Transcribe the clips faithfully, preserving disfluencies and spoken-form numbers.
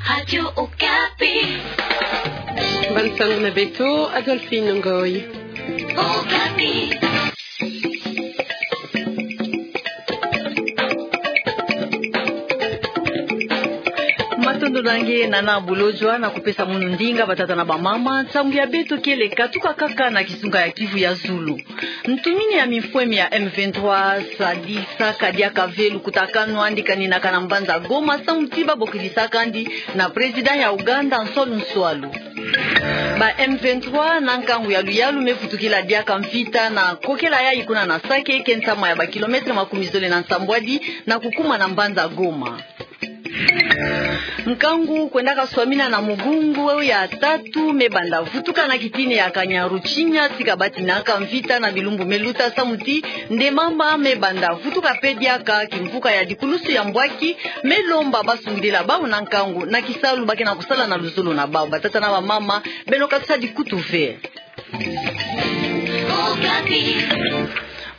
Radio Okapi. Bansangu na beto, Adolphine Ngoyi. Okapi. Matondo na nge, Nana Bolodjwa, na kupesa munu ndinga, batata na bamama. Nsangu ya beto kele katuka kaka na kisunga ya Kivu ya zulu. Ntumini ya mifwemi ya M vingt-trois sadisaka diaka ve lukutakanu andi kaninaka na mbanza Goma, samu ti babokidisaka andi na président ya Ouganda nswalu nswalu. Ba M vingt-trois na nkangu ya luyalu me vutukila diaka mvita na kokela yayi kuna na Sake, ke ntama ya ba kilomètre makumi zole na nsambwadi na kukuma na mbanza Goma. Nkangu kwendaka swamina na mugungu ya tatu me banda vutuka na kitini ya Kanyaruchinya, tika batinaka mvita na bilumbu me luta, samu ti nde mamba me banda vutuka pe diaka kimvuka ya dikulusu ya mbwaki me lomba basungidila bawu na nkangu na kisalu ba ke na kusala na luzolo na bawu. Batata na bamama, beno katusa dikutu ve.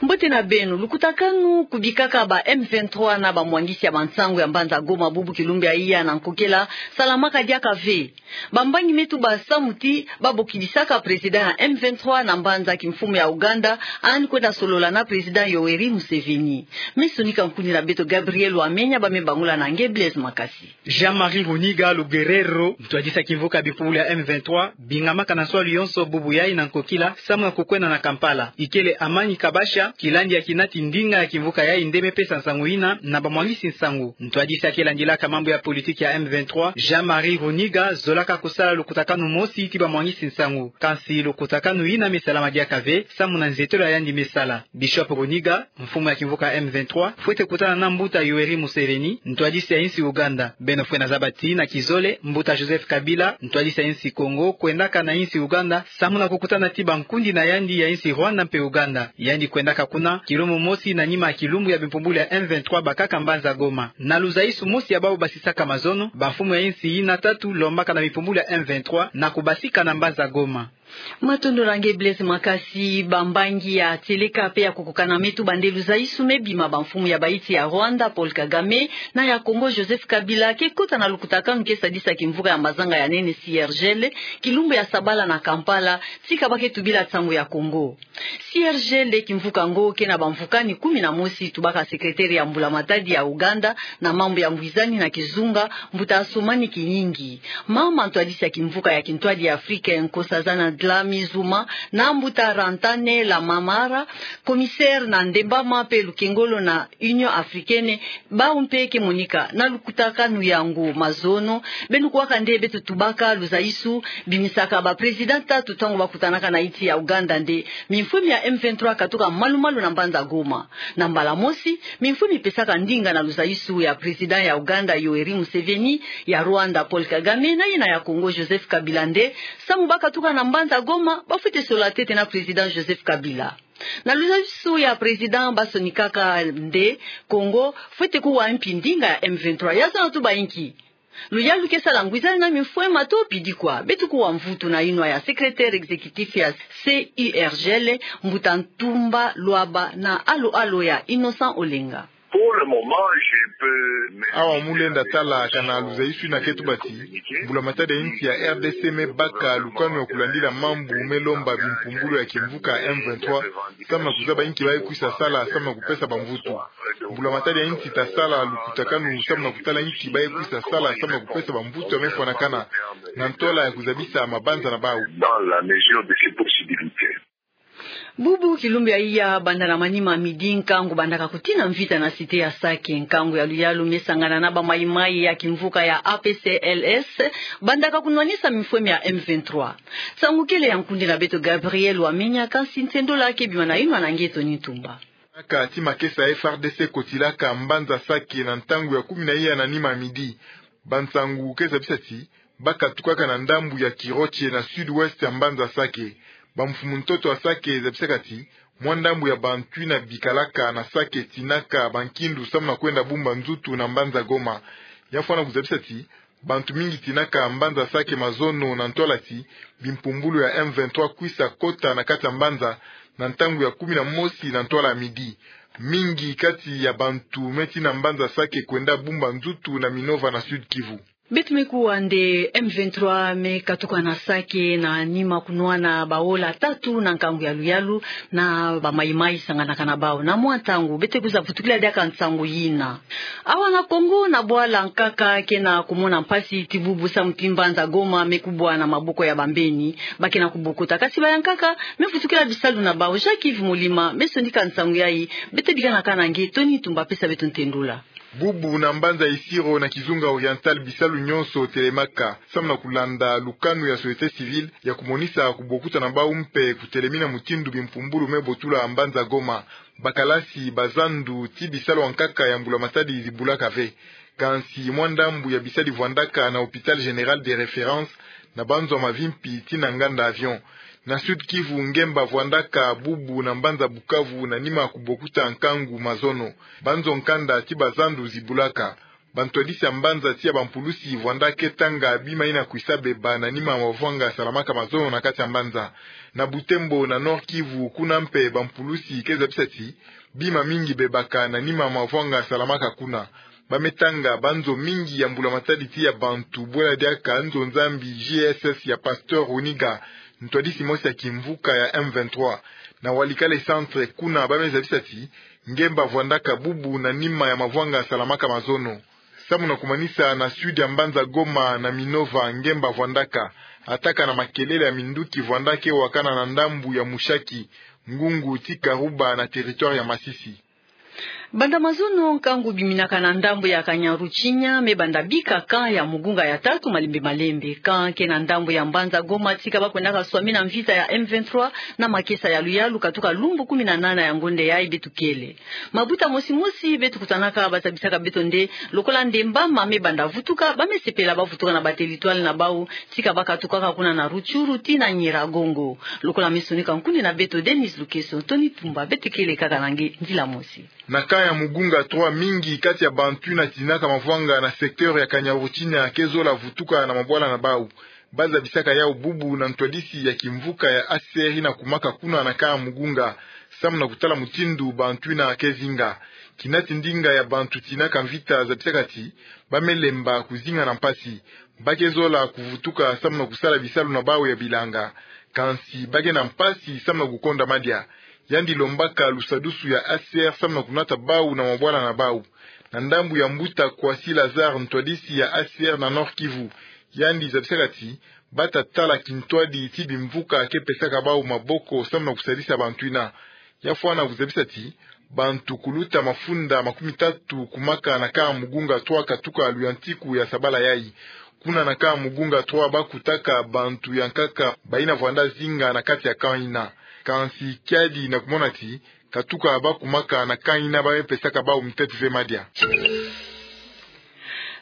Mbote na beno. Lukutakanu kubikaka ba M vingt-trois na bamwangisi ya bansangu ya mbanza Goma bubu kilumbu ya iya na nkokela salamaka diaka ve. Bambangi me tuba samu ti babokidisaka président ya M vingt-trois na mbanza kimfumu ya Ouganda, andi kwenda solola na président Yoweri Museveni. Me sonika nkundi na beto Gabriel Wamenya, ba me bangula na nge Blaise Makasi. Jean-Marie Runiga Lugerero, ntwadisi ya kimvuka ya bimpumbulu ya M vingt-trois, bingamaka na nswalu yonso bubu yayi na nkokila, samu na kukwenda na Kampala. Ikele Amani Kabasha, kilandi ya kinati ndinga ya kimvuka yayi nde me pesa nsangu yina na bamwangisi nsangu. Ntwadisi ya ke landilaka mambu ya politiki ya M vingt-trois, Jean-Marie Runiga, zolaka kusala lukutakanu mosi ti bamwangisi nsangu. Kansi lukutakanu yina me salama diaka ve, samu na nzietelo ya yandi me sala. Bishop Runiga, mfumu ya kimvuka M vingt-trois, fwete kutana na mbuta Yoweri Museveni, ntwadisi ya insi Ouganda. Beno fwena zaba ti na kizole, mbuta Joseph Kabila, ntwadisi ya insi Congo, kwendaka na insi Ouganda, samu na kukutana ti bankundi na yandi ya insi Rwanda mpe Ouganda. Yandi kwendaka kuna kilumbu mosi na nima ya kilumbu ya bimpumbulu ya M vingt-trois bakaka mbanza Goma. Na luzaisu mosi ya bawu basisaka mazono, bamfumu ya insi yina tatu lombaka na bimpumbulu ya M vingt-trois na kubasika na mbanza Goma. Matondo na nge Blaise Makasi. Bambangi ya tieleka pe ya kukukana me tuba nde luzaisu me bima bamfumu ya bainsi ya Rwanda, Paul Kagame, na ya Congo, Joseph Kabila, ke kota na lukutakanu ke sadisa kimvuka ya mazanga ya nene C R G L, kilumbu ya sabala na Kampala, tika ba ke tubila nsangu ya Congo. C R G L nde kimvuka ngo ke na bamvukani kumi na mosi, tubaka secrétaire ya mbulamatadi ya Ouganda na mambu ya ngwizani na kizunga, mbuta Assoumani Kinigi. Mama ntwadisi ya kimvuka ya kintwadi ya Afrika, Nkosazana Dlamini Zuma, na mbuta Rantanne Lamamra, commissaire na Ndembama mpe lukengolo na Union Africaine, bawu mpe ke monika na lukutakanu yango. Mazono, beno kuwaka nde beto tubaka luzaisu bimisaka baprésident tatu ntangu bakutanaka na insi ya Ouganda nde mifwemi ya M vingt-trois katuka malu-malu na mbanza Goma. Na mbala mosi, mifwemi pesaka ndinga na luzaisu ya président ya Ouganda Yoweri Museveni, ya Rwanda Paul Kagame, na yina ya Congo Joseph Kabila nde, samu bakatuka na mbanza Goma, bafwete sola ntete na président Joseph Kabila. Na luzaisu ya président basonikaka nde Congo fwete kuwa mpi ndinga ya M vingt-trois. Ya zona tuba inki? Luyalu ke sala ngwizani na mifwema to pidi kwa? Beto kuwa mvutu na yinwa ya secrétaire exécutif ya C U R G L, mbuta Ntumba Lwaba, na alo-alo ya Innocent Olenga. Pour le moment, je peux me Awa mu lenda tala kana luzaisu yina ke tuba ti mbulamatadi ya insi ya R D C me baka lukanu ya kulandila mambu me lomba bimpumbulu ya kimvuka M vingt-trois, samu na kuzaba inki ba ye kwisa sala samu na kupesa bamvutu. Mbulamatadi ya insi ta sala lukutakanu samu na kutala inki ba ye kwisa sala samu na kupesa bamvutu ya me fwanakana, na ntwala ya kuzabisa mabanza na bawu. Dans la mesure de ses possibilités. Bubu kilumbu ya iya, banda na manima midi, nkangu bandaka kutina mvita na cité ya Sake. Nkangu ya luyalu me sangana na ba mayi-mayi ya kimvuka ya A P C L S bandaka kunwanisa mifwemi ya M vingt-trois. Nsangu kele ya nkundi na beto Gabriel Wamenya, kansi nsendola ke bima na yinwa na nge Tony Ntumba. Aka ti makesa ya F R D C kotilaka mbanza Sake na ntangu ya kumi na iya na nima midi. Bansangu ke zabisa ti bakatukaka na ndambu ya Kiroche na sud-ouest ya mbanza Sake. Bamfumu-ntoto ya Sake zabisaka ti mwa ndambu ya bantu yina bikalaka na Sake tinaka bankindu samu na kwenda bumba nzutu na mbanza Goma. Ya fwana kuzabisa ti bantu mingi tinaka mbanza Sake mazono na ntwala ti bimpumbulu ya M vingt-trois kwisa kota na kati ya mbanza na ntangu ya kumi na mosi na ntwala ya midi. Mingi kati ya bantu me tina mbanza Sake kwenda bumba nzutu na Minova na Sud-Kivu. Beto me kuwa nde M vingt-trois me katuka na Sake na nima kunwana baola tatu na nkangu ya luyalu na bamaimai sanganaka na bau. Na mwa ntangu, beto kwiza vutukila diaka nsangu yina. Awa na Kongo, na bwala nkaka ke na kumona mpasi ti bubu samu ti mbanza Goma me kubwa na maboko ya bambeni ba ke na kubokuta. Kasi bayankaka me vutukila bisalu na bau. Jacques Yves Molima me sonika nsangu yayi, beto bikana kaka na nge. Tony Tumba pesa beto ntendula. Bubu na mbanza Isiro na kizunga Oriental, bisalu nyonso telemaka, samu na kulanda lukanu ya société civile ya kumonisa kubokuta na bau mpe kutelemina mutindu bimpumbulu me botula mbanza Goma. Bakalasi, bazandu, ti bisalu ya nkaka ya mbula matadi zibulaka ve. Kansi mwa ndambu ya bisadi vwandaka na Hôpital Général de Référence na banzo mavimpi ti na nganda avion. Na Sud-Kivu, ngemba vwandaka bubu na mbanza Bukavu na nima kubokuta nkangu mazono. Banzo nkanda ti bazandu zibulaka. Bantwadisi ya mbanza ti ya bampulusi vwandaka tanga bima yina kwisa beba na nima mavwanga salamaka mazono na kati ya mbanza. Na Butembo, na Nord-Kivu, kuna mpe bampulusi ke zabisa ti bima mingi bebaka na nima mavwanga salamaka kuna. Ba me tanga banzo mingi ya mbula matadi ti ya bantu, bwela diaka nzo Nzambi J S S ya Pasteur Runiga, ntwadisi mosi ya kimvuka ya M vingt-trois. Na Walikale Centre, kuna ba me zabisa ti ngemba vwandaka bubu na nima ya mavwanga salamaka mazono. Samu na kumanisa, na sud ya mbanza Goma na Minova, ngemba vwandaka, ataka na makelele ya minduki vwandaka wakana na ndambu ya Mushaki, ngungu ti Karuba na territoire ya Masisi. Banda mazono, nkangu biminaka na ndambu ya Kanyaruchinya me banda bika camp ya mugunga ya tatu malembe malembe. Camp ke na ndambu ya mbanza Goma tika ba kwendaka swamina mvita ya M vingt-trois na makesa ya luyalu katuka lumbu kumi na nana ya ngonde yayi beto kele. Mabuta mosi mosi beto kutanaka ba zabisaka beto nde lokola nde mbama me banda vutuka, ba me sepela ba vutuka na ba territoire na bau, tika ba katukaka kuna na Rutshuru tii na Nyiragongo. Lokola me sonika nkundi na beto Denis Lukeso, Tony Tumba, beto kele kaka na nge nzila mosi. Na camp ya mugunga trois, mingi kati ya bantu yina tininaka mavwanga na secteur ya Kanyaruchinya ke zola vutuka na mabwala na bau. Ba zabisaka yau bubu na ntwadisi ya kimvuka ya A C R yina kumaka kuna na camp ya mugunga, samu na kutala mutindu bantu yina ke zinga. Kinati ndinga ya bantu tininaka mvita zabisaka ti ba me lemba kuzinga na mpasi. Ba ke zola kuvutuka samu na kusala bisalu na bau ya bilanga. Kansi ba ke na mpasi samu na kukonda madia. Yandi lombaka lusadusu ya A C R samu na kunata bau na mabwala na bau. Na ndambu ya mbuta Kwasi Lazare, ntwadisi ya A C R na Nord-Kivu, yandi zabisaka ti ba ta tala kintwadi ti bimvuka ke pesaka bau maboko samu na kusadisa bantu yina. Ya fwana kuzabisa ti bantu kuluta mafunda makumi tatu kumaka na camp ya mugunga trois katuka luyantiku ya sabala yayi. Kuna na camp ya mugunga trois ba kutaka bantu ya nkaka bayina vwanda zinga na kati ya camp yina. Kansi kiadi na kumona ti katuka ba kumaka na camp yina ba me pesaka bau mutetu ve madia.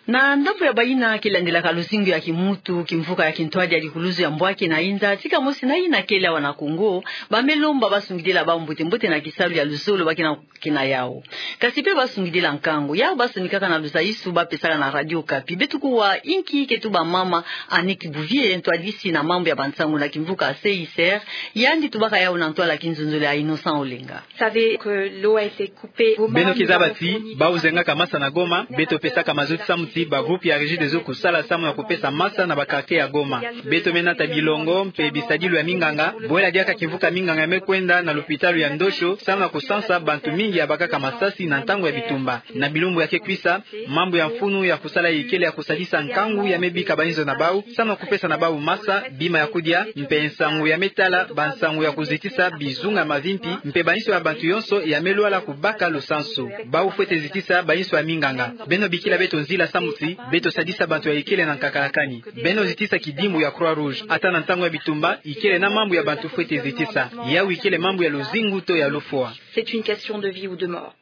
Na ndambu ya bayina ke landelaka luzingu ya kimuntu, kimvuka ya kintwadi ya dikuluzu ya mbwaki na inza, tika mosi na yina kele awa na Kongo, ba me lomba ba sungidila bau mbote mbote na kisalu ya luzolo ba ke na, ke na yau. Kasi pe ba sungidila nkangu. Yau ba sonikaka na luzaisu ba pesaka na Radio Okapi. Beto kuwa inki ke tuba mama Annick Bouvier, ntwadisi na mambu ya bansangu na kimvuka C I C R, yandi tubaka yau na ntwala kinzonzolo ya Innocent Olenga. Savez que l'eau a été coupée. Beno kizaba ti bau zengaka masa na Goma, beto pesaka mazono samu ti ba groupe ya Regideso kusala samu na kupesa masa na ba quartier ya Goma. Beto me nata bilongo mpe bisadilu ya minganga, bwela diaka kimvuka minganga me kwenda na lupitalu ya Ndosho samu na kusansa bantu mingi ya bakaka masasi na ntangu ya bitumba. Na bilumbu ya ke kwisa, mambu ya mfunu ya kusala ikele ya kusadisa nkangu ya me bika bainzo na bau, samu na kupesa na bau masa, bima ya kudia, mpe nsangu ya me tala bansangu ya kuzitisa bizunga mavimpi, mpe bainzo ya bantu yonso ya me lwala kubaka lusansu. Bau fwete zitisa bainzo ya minganga. Beno bikila beto nzila samu ti beto sadisa bantu ya ikele na nkakalakani. Beno zitisa kidimbu ya Croix-Rouge. Ata na ntangu ya bitumba, ikele na mambu ya bantu fwete zitisa. Yau ikele mambu ya luzingu to ya lufwa. C'est une question de vie ou de mort.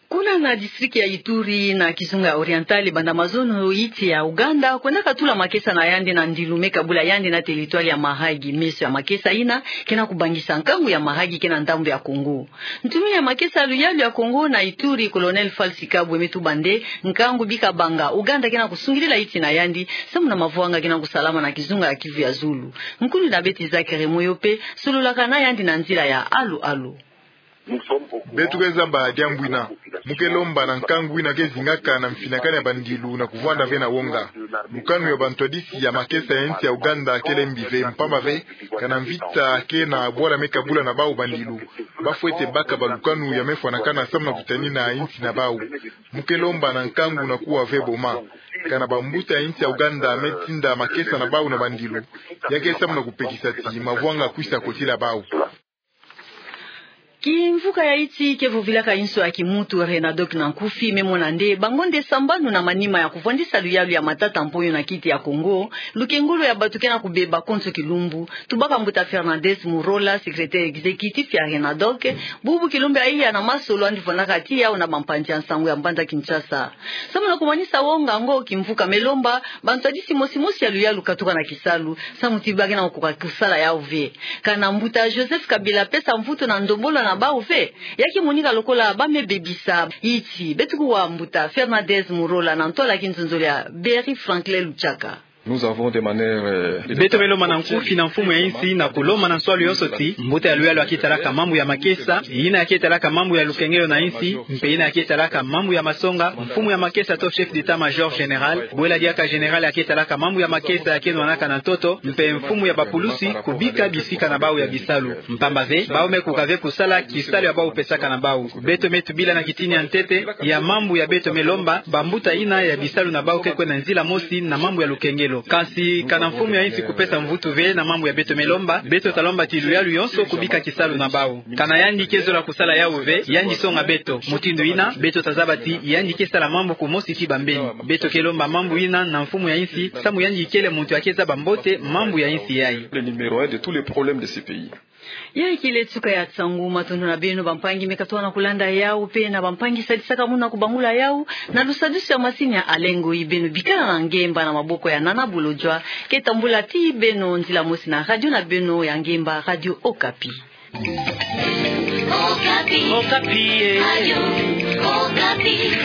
Kuna na district ya Ituri, na kizunga ya Oriental, banda mazono iti ya Ouganda kwendaka tula makesa na yandi na ndilu me kabula yandi na territoire ya Mahagi. Meso ya makesa yina ke na kubangisa nkangu ya Mahagi ke na ndambu ya Congo. Ntumi ya makesa ya luyalu ya Congo na Ituri, Colonel Falsi Kabwe, me tuba nde nkangu bi kabanga, Ouganda ke na kusungidila iti na yandi samu na mavwanga ke na kusalama na kizunga ya Kivu ya Zulu. Nkundi na beto Isaac Remoyo pe sololaka na yandi na nzila ya alu alu. Beto ke zaba diambu ina. Mu ke lomba na nkangu ina ke zingaka na mfinakani ya bandilu na kuvwanda ve na wonga. Lukanu ya bantwadisi ya makesa ya insi ya Ouganda kele mbi ve, mpamba ve kana mvita ke na bwala me kabula na bau bandilu, ba fwete baka balukanu ya me fwanakana samu na kutanina insi na bau. Mu ke lomba na nkangu na kuwa ve boma kana bambuta ya insi ya Ouganda me tinda makesa na bau na bandilu, ya ke samu na kupekisa ti mavwanga kwisa kotila bau. Kimvuka ya iti ke vovilaka inso ya kimuntu, Renadoc na nkufi, me mona nde bangonde sambanu na manima ya kuvwandisa luyalu ya matata mponyo na kiti ya Kongo, lukengolo ya bato ke na kubeba konso kilumbu. Tubaka mbuta Fernandez Murola, secrétaire exécutif ya Renadoc, bubu kilumbu ya iya na masolo andi vwandaka tiya na bampanzi ya nsangu ya mbanza Kinshasa. Samu na kumanisa wonga ngo, kimvuka me lomba bantwadisi mosi mosi ya luyalu katuka na kisalu, samu ti ba ke na kukoka kusala yau ve. Kana mbuta Joseph Kabila pesa mvutu na ndombolo na bau ve, ya ke monika lokola ba me bebisa. Iti, beto kuwa mbuta Fernandez Murola na ntwala ya kinzonzolo ya Berry Franklin Luchaka. Nous avons de manière, euh, Beto me lomba na nkufi na mfumu ya insi na kulomba na nswalu yonso ti mbuta ya luyalu ya ke talaka mambu ya makesa, ina ya ke talaka mambu ya lukengelo na insi, mpe ina ya ke talaka mambu ya masonga, mfumu ya makesa to chef d'état-major général, bwela diaka général ya ke talaka mambu ya makesa ya ke nwanaka na ntoto, mpe mfumu ya bapulusi, kubika bisika na bau ya bisalu. Mpamba ve, bau me kukoka ve kusala kisalu ya bau pesaka na bau. Beto me tubila na kitini ya ntete ya mambu ya beto me lomba, bambuta ina ya bisalu na bau ke kwenda nzila mosi na mambu ya lukengelo. Kansi kana mfumu ya insi kupesa mvutu ve na mambu ya beto me lomba, beto ta lomba ti luyalu yonso kubika kisalu na bau. Kana yandi ke zola kusala yau ve, yandi songa beto. Mutindu ina, beto ta zaba ti yandi ke sala mambu kumosi ti bambeni. Beto ke lomba mambu ina na mfumu ya insi, samu yandi kele muntu ya ke zaba mbote mambu ya insi yai. Le numéro un de tous les problèmes de ce pays. Yai kele suka ya nsangu. Matondo na beno bampangi me katuka na kulanda yau, mpe na bampangi sadisaka muna kubangula yau, na lusadusu ya masini ya Alain Ngoyi. Beno bikala na ngemba na maboko ya Nana Bolodjwa, ke tambula tii beno nzila mosi na radio na beno ya ngemba, Radio Okapi. Okapi. Okapi, eh. Radio Okapi.